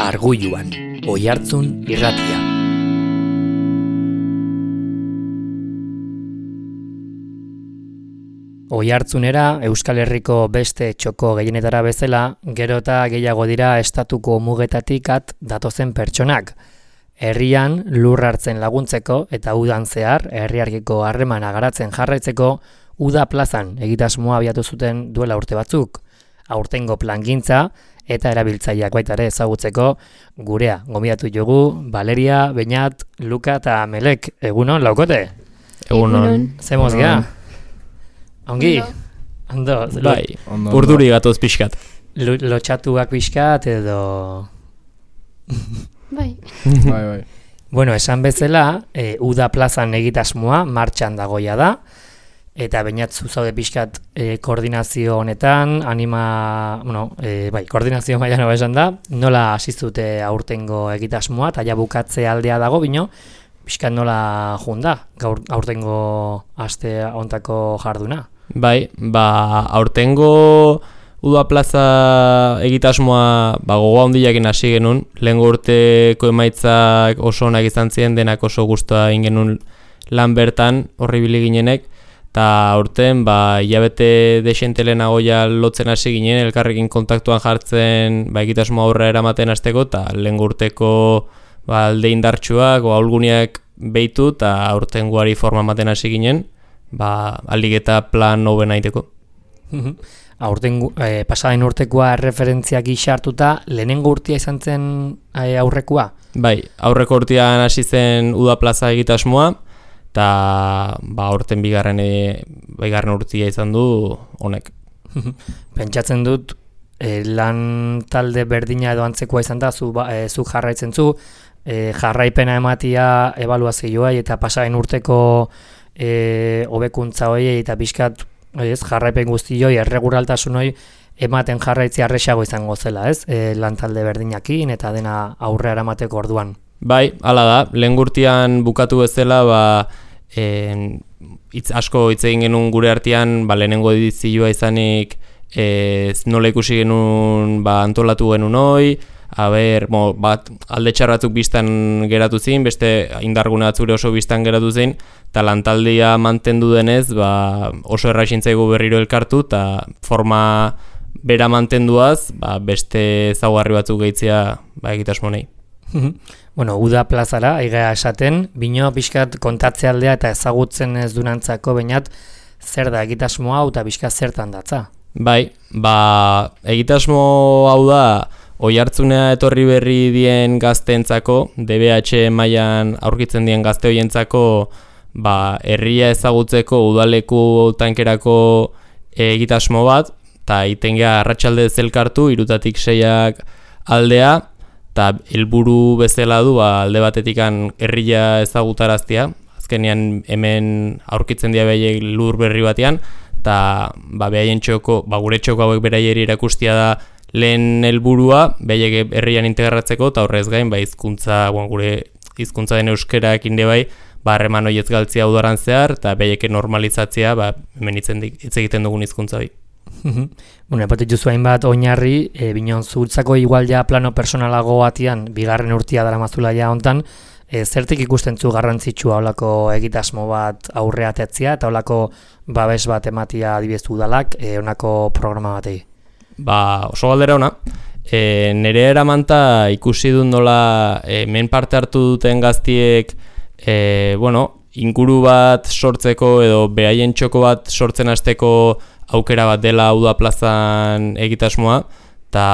Arguluan, Oihartzun irratia. Oihartzunera Euskal Herriko beste txoko gehienetara bezala, gero eta gehiago dira estatuko mugetatik at datozen pertsonak. Herrian lur hartzen laguntzeko eta udan zehar herriarkiko harremana garatzen jarraitzeko Uda plazan egitasmoa abiatu zuten duela urte batzuk. Aurtengo plangintza eta erabiltzaileak baita ere ezagutzeko gurea gonbidatu dugu Valeria, Beñat, Luka eta Melek. Egunon, laukote? Egunon. Zemoz gea? Ongi? Ondo. Bai, urduri gatoz pixkat. Lotxatuak pixkat edo... Bai. Bai. Bueno, esan bezala, Uda plazan egitasmoa martxan dagoia da, eta Beñat zaude pixkat koordinazio honetan, koordinazio mailan hobe esan da, nola hasizute aurtengo egitasmoa, eta ja bukatze aldea dago, bino, pixkat nola junda, aurtengo aste hontako jarduna. Bai, aurtengo Uda plaza egitasmoa gogoa handiakin hasi genuen, lehengo urteko emaitzak oso onak izan ziren, denak oso gustoa egin genuen lan bertan, horri bili ginenek, eta aurten hilabete desente lehenago ja lotzen hasi ginen, elkarrekin kontaktuan jartzen egitasmoa aurrera eramaten hasteko, eta lehengo urteko alde indartsuak, ahulguniak behitu, eta aurten guari forma ematen hasi ginen, aldik eta plan hobena egiteko. Aurten pasaden urtekoa referentzia gisa hartuta, lehenengo urtea izan zen aurrekoa? Bai, aurreko urtean hasi zen Uda plaza egitasmoa, eta aurten bigarren urtea izan du honek. Pentsatzen dut, lan talde berdina edo antzekoa izan da, zu jarraitzen zu, jarraipena ematia ebaluazioa eta pasaden urteko hobekuntza horiei eta pixkat jarraipen guztioi, erreguraltasun hori ematen jarraitzea erresago izango zela, lan talde berdinakin eta dena aurrera eramateko orduan. Bai, hala da, lehen gurtian bukatu bezala, asko hitz egin genuen gure artean, lehenengo edizioa izanik nola ikusi genuen antolatu genuen hoi, alde txarratzuk biztan geratu zin, beste indargune batzure oso biztan geratu zin, eta lantaldia mantendu denez, oso erraixintzaigu berriro elkartu, eta forma bera mantenduaz, beste ezaugarri batzuk gehitzea egitasmonei. Bueno, Uda plazara, aigea esaten, bino pixkat kontatze aldea eta ezagutzen ez dunantzako Beñat, zer da egitasmo hau eta pixkat zertan datza? Bai, egitasmo hau da, Oihartzunea etorri berri dien gazteentzako, DBH mailan aurkitzen dien gazte hoientzako, herria ezagutzeko udaleku tankerako egitasmo bat, eta itengea arratsalde zelkartu, 3 til 6 aldea, eta helburu bezala du alde batetikan herria ezagutaraztea, azkenean hemen aurkitzen dira behaiek lur berri batean, eta behaien txoko, gure txoko hauek beraieri erakustia da lehen helburua, behaiek herrian integratzeko, eta horrez gain, gure hizkuntza den euskarak inde harreman horiez galtzea udaran zehar, eta behaiek normalizatzea, hemen hitz egiten dugun hizkuntza hori. Bueno, epatik duzu hainbat oinarri, binon zuhultzako igual ja plano personalago batian, bigarren urtea dara mazula ja hontan, zertik ikusten zu garrantzitsua holako egitasmo bat aurreatetzea, eta holako babes bat ematia adibidez udalak, honako programa batei? Oso galdera ona. Nire eramanta ikusi dut nola hemen parte hartu duten gaztiek inguru bat sortzeko edo behaien txoko bat sortzen hasteko aukera bat dela Uda plazan egitasmoa, eta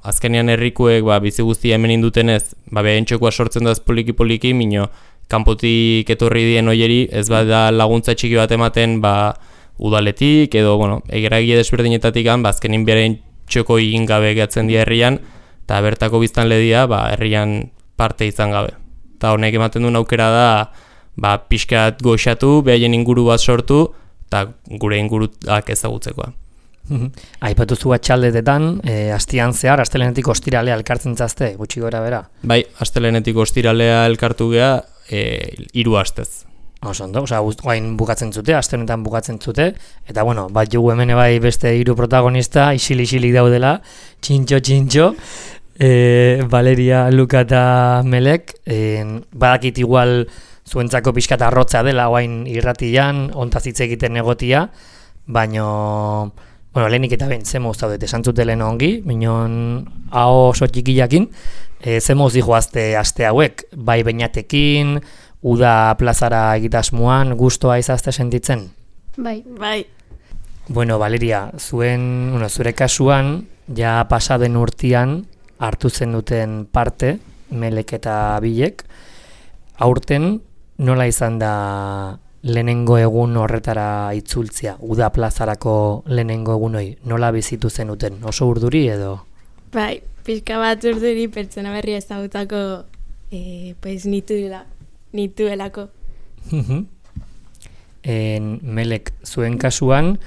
azkenean herrikuek bizi guztia hemen indutenez, behaien txokoa sortzen daz poliki-poliki, mino kanpotik etorri dien hoieri ez da laguntza txiki bat ematen udaletik edo egeragie desberdinetatik azkenin behaien txoko egin gabe gehatzen dira herrian, eta bertako biztanle dira herrian parte izan gabe. Eta honek ematen duen aukera da pixkat goxatu, behaien inguru bat sortu, eta gure inguruak ezagutzekoa. Aipatu zu atxaldetetan, astian zehar, astelenetik ostiralea elkartzen zazte, gutxi gora bera? Bai, astelenetik ostiralea elkartu geha 3 astez. Oso ondo, guain bukatzen zute, aste honetan bukatzen zute, eta jugu hemen beste 3 protagonista, isilik daudela, txintxo, Valeria, Luka eta Melek, badakit igual zuentzako pixkat arrotza dela oain irratian, ontaz hitz egiten egotia, baino, bueno, lehenik eta ben, ze moz zaudet, esan zutelen ongi, minon hau oso txikiakin, ze moz dihoazte aste hauek, bai beinatekin, uda plazara egitasmuan, gustoa izazte sentitzen? Bai. Bueno, Valeria, zure kasuan, ja pasaden urtean hartu zen duten parte, Melek eta Bilek, aurten nola izan da lehenengo egun horretara itzultzea, uda plazarako lehenengo egun hori, nola bizitu zenuten, oso urduri edo? Bai, pixka bat urduri pertsona berri ezagutako pues nituelako. Melek, zuen kasuan,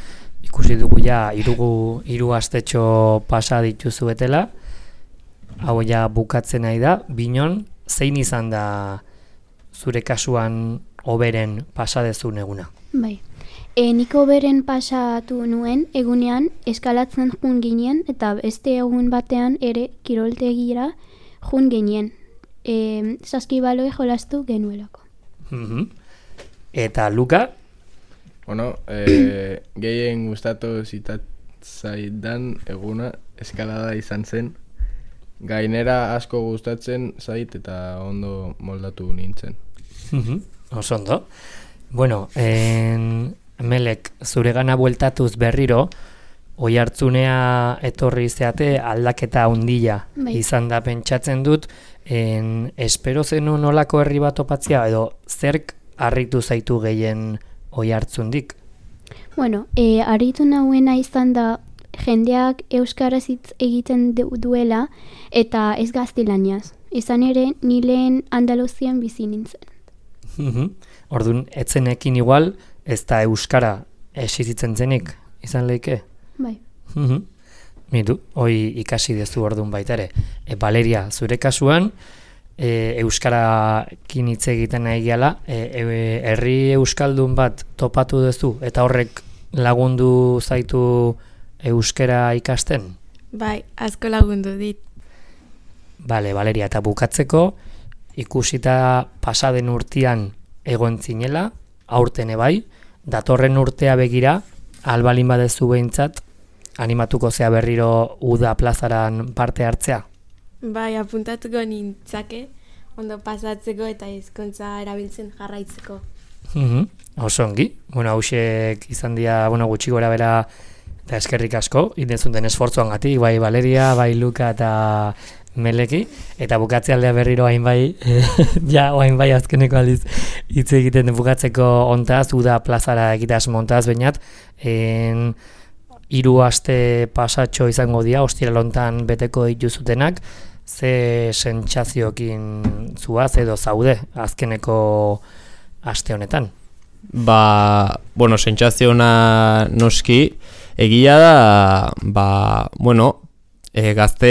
ikusi dugu ja hiru astetxo pasa dituzuetela, hau ja bukatzen nahi da, binon, zein izan da zure kasuan hoberen pasadezun eguna? Bai, nik hoberen pasatu nuen egunean eskalatzen jun ginen eta beste egun batean ere kiroltegira jun ginen. Saskibaloi jolastu genuelako. Eta Luka? Bueno, gehien gustatu zitzaidan eguna eskalada izan zen. Gainera asko gustatzen zait eta ondo moldatu nintzen. Oso ondo. Bueno, Melek, zuregana bueltatuz berriro, oihartzunea etorri zeate aldaketa handia izan da pentsatzen dut, espero zenu nolako herri bat topatzea edo zerk harritu zaitu gehien oihartzundik? Bueno, harritu nauena izan da jendeak euskaraz hitz egiten duela eta ez gaztelaniaz. Izan ere, ni lehen Andaluzian bizi nintzen. Orduan, etzenekin igual, ez da euskara esizitzen zenik, izan leike? Bai. Mitu, hoi ikasi dezu orduan baita ere. Valeria, zure kasuan, euskarakin hitz egiten nahi gehala, herri euskaldun bat topatu duzu eta horrek lagundu zaitu euskara ikasten? Bai, asko lagundu dit. Bale, Valeria, eta bukatzeko, ikusita pasaden urtean egon zinela, aurten bai, datorren urtea begira, albalin badezu behintzat, animatuko zea berriro uda plazaran parte hartzea? Bai, apuntatuko nintzake, ondo pasatzeko eta hizkuntza erabiltzen jarraitzeko. Oso ongi, bueno, hausek izan dira, gutxi gora bera, eta eskerrik asko, indenzunten esfortzuangatik, bai Valeria, bai Luka eta Meleki, eta bukatze aldea berriro hain bai, hain bai azkeneko aldiz hitz egiten bukatzeko ontaz, uda plazara egitas montaz bainat, 3 aste pasatxo izango dira, ostiral hontan beteko dituzutenak, ze sentsazioekin zuaz edo zaude azkeneko aste honetan? Bueno, sentsazio ona noski, egia da, gazte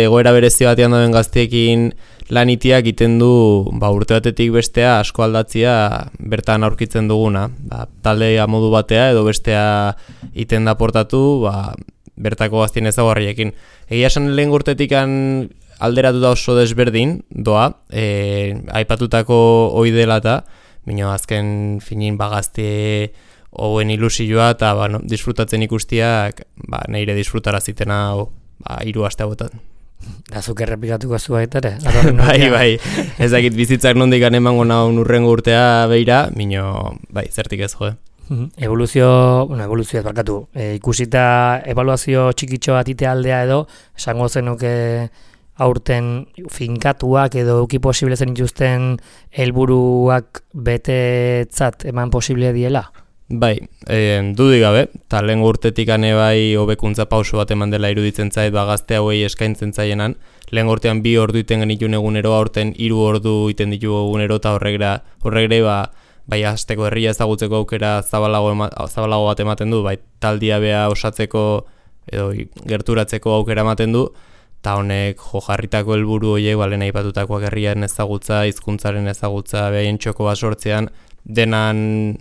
egoera berezi batean dauden gazteekin lanitiak egiten du urte batetik bestea asko aldatzia bertan aurkitzen duguna. Taldea modu batea edo bestea iten da portatu bertako gaztien ezaugarriekin. Egia esan lehen urtetik alderatuta oso desberdin doa, aipatutako ohi dela eta bino azken finin gazte hoen ilusioa eta disfrutatzen ikustiak nire disfrutara zitena 3 aste hauetan. Da zuk errepikatuko zu baita ere? Bai, ez dakit bizitzak nondik emango naun urrengo urtea beira, mino, zertik ez joe. Evoluzioa barkatu, ikusita ebaluazio txikitxo bat aldea edo, esango zenuke aurten finkatuak edo euki posible zen ituzten helburuak betetzat eman posible diela? Bai, dudik gabe, eta lehen urtetik bai hobekuntza pauso bat eman dela iruditzen zait gazte hauei eskaintzen zaienan. Lehen urtean 2 ordu iten genituen egunero, aurten 3 ordu iten ditugu egunero, eta horregre hasteko herria ezagutzeko aukera zabalago bat ematen du, taldia bea osatzeko edo gerturatzeko aukera ematen du, eta honek jarritako helburu horiek lehen aipatutakoak herriaren ezagutza, hizkuntzaren ezagutza, behin txoko bat sortzean, denan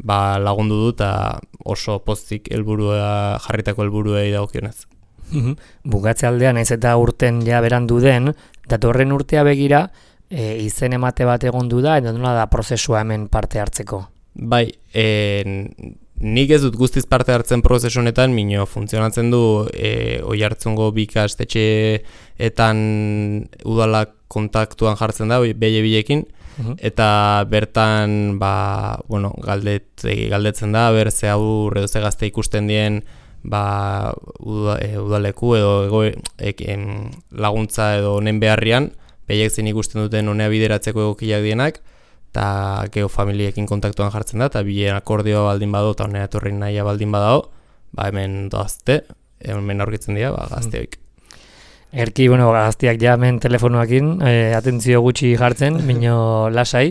lagundu du eta oso pozik jarritako helburuei dagokionez. Bukatze aldean, naiz eta urten ja berandu den, datorren urtea begira, izen emate bat egondu da, eta nola da prozesua hemen parte hartzeko? Bai, nik ez dut guztiz parte hartzen prozesu honetan, mino funtzionatzen du Oiartzungo bi ikastetxeetan udalak kontaktuan jartzen da, behilekin, eta bertan galdetzen da, ber ze haur edo ze gazte ikusten dien udaleku edo laguntza edo honen beharrian, behiek zein ikusten duten honea bideratzeko egokiak dienak, eta geho familiekin kontaktuan jartzen da, eta bilen akordioa baldin bado, eta honea etorri nahia baldin badao, hemen doazte, hemen aurkitzen dira, gazteoik. Erki, gaztiak ja hemen telefonoakin, atentzio gutxi jartzen, bino lasai.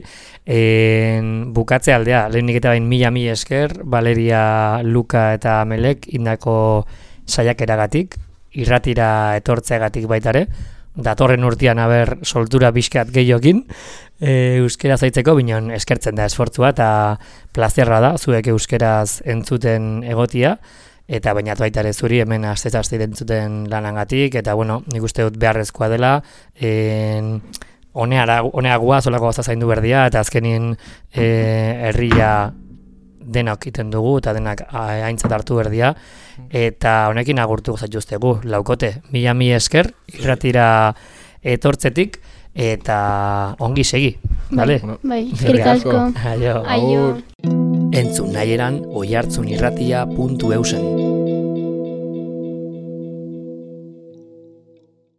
Bukatze aldea, lehenik eta bain mila esker, Valeria, Luka eta Melek indako saiakeragatik, irratira etortzeagatik baitare, datorren urtean aber soltura bizkat gehiokin, euskera zaitzeko, binon eskertzen da esfortzua eta plazerra da, zuek euskeraz entzuten egotia, eta bainat baita ere zuri hemen aste entzuten lanangatik, eta nik uste dut beharrezkoa dela, honeagua, zolako gauza zaindu berdia, eta azkenien herria denok iten dugu, eta denak aintzat hartu berdia, eta honekin agurtu zaituztegu, laukote, mila esker, irratira etortzetik, eta ongi segi, bale? Bai, eskerrik asko. Aio. Aio. Entzun nahieran oiartzunirratia.eusen.